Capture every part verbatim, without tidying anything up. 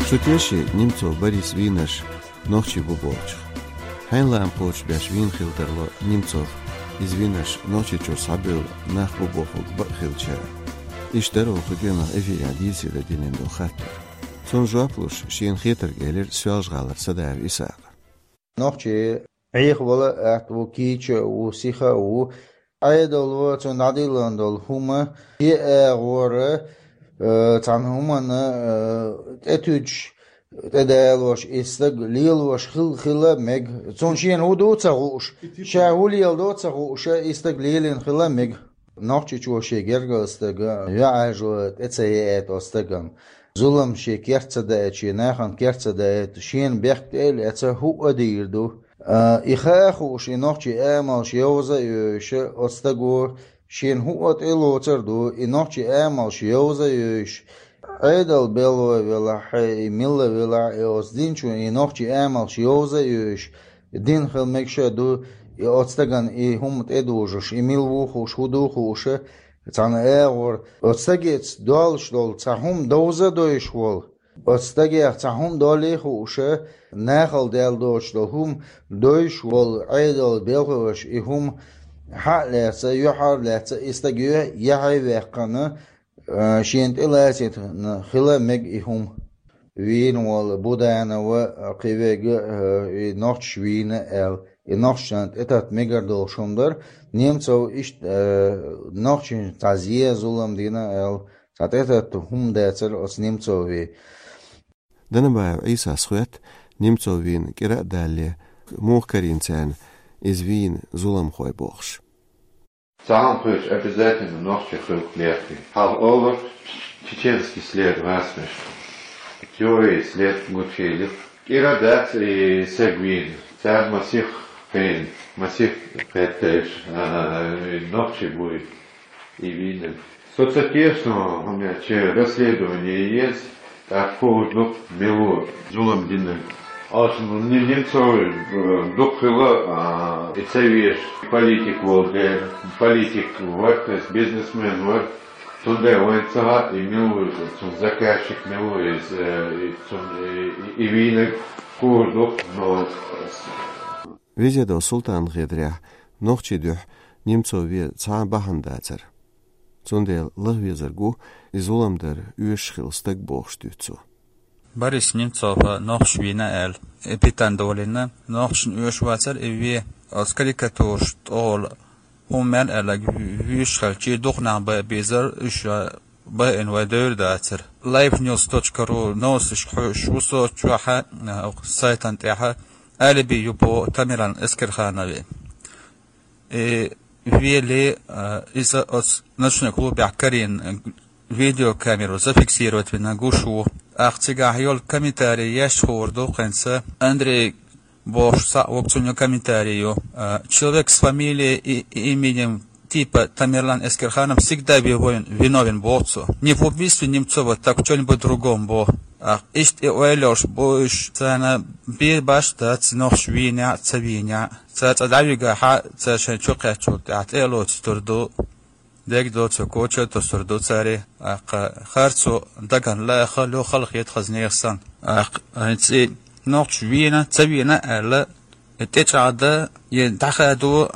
Шу теший Немцов Борис вийнарш нохчий бу бохучух? Хьайна лаам кхочуш беш вийна хила тарло Немцов, иза вийнарш Нохчийчуьра схьабевлла нах бу бохург бакъ хилча? Иштта дара оха кху денах эфирехь дийцаре динан долу хаттар. Цунна жоп луш, шена хетарг элира Соьлжа-ГӀалара Садаев Исакъа. Нохчий Ӏехавала а атта ву, кийча а ву, сиха а ву. Ӏедало цунна дӀадиллина долу хӀума, шен агӀора, э, цхьана хӀуманна, э, тӀетуьдуш, тӀедалош, и стаг лелош хила, хила мега. Цунна шена хӀун ду ца хууш, ша хӀун леладо ца хууш, и стаг лелийна хила мега. Нохчийчо шен гергара стага, йоӀ-йижарий тӀе ца еайта оцу стагана. Зулам шен керта ца даийта, шен нахана керта ца даийта, шена бехк тӀе а лаьцна, хӀуъа а дийр ду. А, и хаа хууш, и нохчий амалш йовза а йовзуш, оцу стага шена хӀуъа тӀе а лоцур ду, и нохчий амалш йовза а йовзуш, Ӏедал белхалой велахь, и милла велахь, и оцу динчун и нохчий амалш йовза а йовзуш, дина хила мегаш а ду, и оцу стагана и хӀума тӀедужуш, и мила ву хууш, хӀун ду хууш, цхьана агӀор, оцу стагеца долуш долу цхьа хӀума довза а довзуш волу, оцу стагех цхьа хӀума долий а хууш, нахала даьлла доцуш долу хӀума довзуш волу Ӏедал белхалоша и хӀума хьа а лаьцна, юьхьар а лаьцна, и стаг юьхь-, яхье а ваьккхина, а, шена тӀе лацийтина хила мега и хӀума. Вийна волу Буданова, а, кхин верг а, а, и нохчаш вийна аьлла, и нохчашна тӀетатта мегар долуш хӀума дара, Немцов иштта, а, нохчашна цхьа зен, зулам дина аьлла, цхьа тӀетатта хӀума дацара оцу Немцове. Данабаев Ӏийсас хоьтту, Немцов вийна кӀира а далале, муха карийна царна иза вийна зуламхой бохуш. Цхьа хӀума хилча, обязательно нохчи хиларх лерина. Хьалха олура, чеченский след вацмеш. Теория след гучуйилира. КӀира дац и стаг вийна. Цара масех кхиъна, масех кхетташ, а, и нохчи бу и вийнарг. Со ца тешна, хӀунда аьлча расследование еза, тӀаккха хуур ду мила ву зулам динарг. Аша, ну, не-, Немцов, э, дукха хилла, а, и ца везаш политик волу дела, политик вара, то есть бизнесмен вара. Цундела вайна ца хаьа, и мила ву, цуьнан заказчик мила ву, иза, э, и цуьнан, и, и, и вийнарг хуур ду, но Везедов Султанан хетарехь, нохчийн дуьхьа Немцов вен цхьа а бахьана дацара. Цундела лаха везарг ву и зулам дар оьшуш хилла стаг бохуш дуьйцу цо. Борис Немцов нохчаш вийна аьлла, и питана долийна, нохчашна оьшуш вацара и вен, оцу карикатураш тӀехула хӀума мел аьлларг вуьйш хилча, дукха нах бан а безара, уьш байина вай девр дацара. Live news точка ру новосташка хьоьжуш ву со чохь а, сайтан тӀехь а, алиби ю боху Тамерлан Эскерханове. И веле, а, иза оцу ночной клубехь карийна видеокамеро зафиксировать вина гуш ву. Ахь цигахь йолу комментарий еш хуур ду хӀинца Андрей бохуш цхьаъ ву, цуьнан комментарий ю. А, человек с фамилией и, и именем типа Тамерлан Эскерханов всегда виновен, виновен боху цо. Не в убийстве Немцова, так в чём-нибудь другом боху. А, иштта и ойла йолуш бу уьш, царна бен баш дац нохчаш вийнехь а, ца вийнехь а. Цара цкъа дӀавигахь а, цара шайн чу кхаьччул тӀаьхьа тӀе а лоцуьйтур ду. Дерг доцург коча а тосур ду цара, тӀаккха харцо дагна лаахалур ю, хала хета хаза нехан санна. ТӀаккха хӀинца и нохчаш вийна, ца вийна аьлла, и тӀечӀагӀдан, и дӀахадо,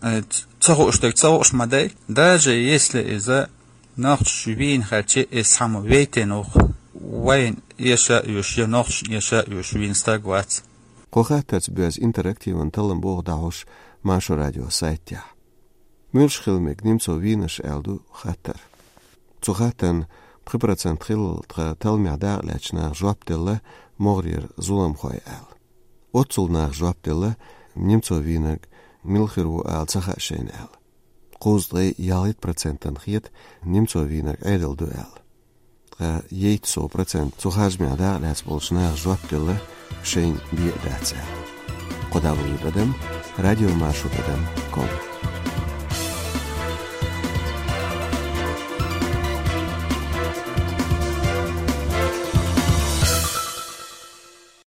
и ца хууш дерг ца хууш ма дай. Даже если иза нохчаш вийна хилча, иза цхьаммо вейтина ву-кх, вайна эша а оьшуш, я нохчашна эша а оьшуш вийна стаг вац. Кху хаттарца боьзна интерактиван таллам богӀу дӀахьош Маршо радион сайтехь. Муьлш хила мега Немцов вийнарш аьлла ду хаттар. Цу хаттарна пхи процент хиллал тхан талламехь дакъа лаьцначу наха жоп делла, могӀарера зуламхой аьлла. Оццул наха жоп делла, Немцов вийнарг мила хир ву ала ца хаьа шайна аьлла. Кхузткъе ялхитта процентана хета Немцов вийнарг Ӏедал ду аьлла. Ткъа ейтта сов процент цу харжамехь дакъа лаьцна болчу наха жоп делла, шайна бен а дац аьлла. Кхо дабл-ю тӀадам радиомаршо тӀадам ком.